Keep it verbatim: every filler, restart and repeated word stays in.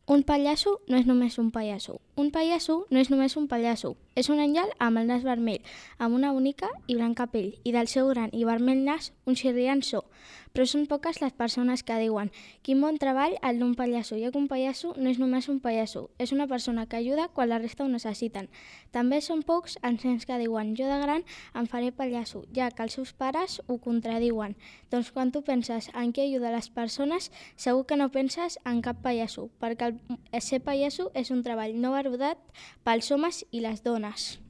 Un pallasso no és només un pallasso. Un pallasso no és només un pallasso. És un àngel amb el nas vermell, amb una bonica i blanca pell, i del seu gran i vermell nas un xirriant so. Però són poques les persones que diuen «Quin bon treball el d'un pallasso», ja que un pallasso no és només un pallasso, és una persona que ajuda quan la resta ho necessiten. També són pocs els nens que diuen «Jo de gran em faré pallasso», ja que els seus pares ho contradiuen. Doncs quan tu penses en qui ajuda les persones, segur que no penses en cap pallasso, perquè el ser pallasso és un treball no valorat pels homes i les dones.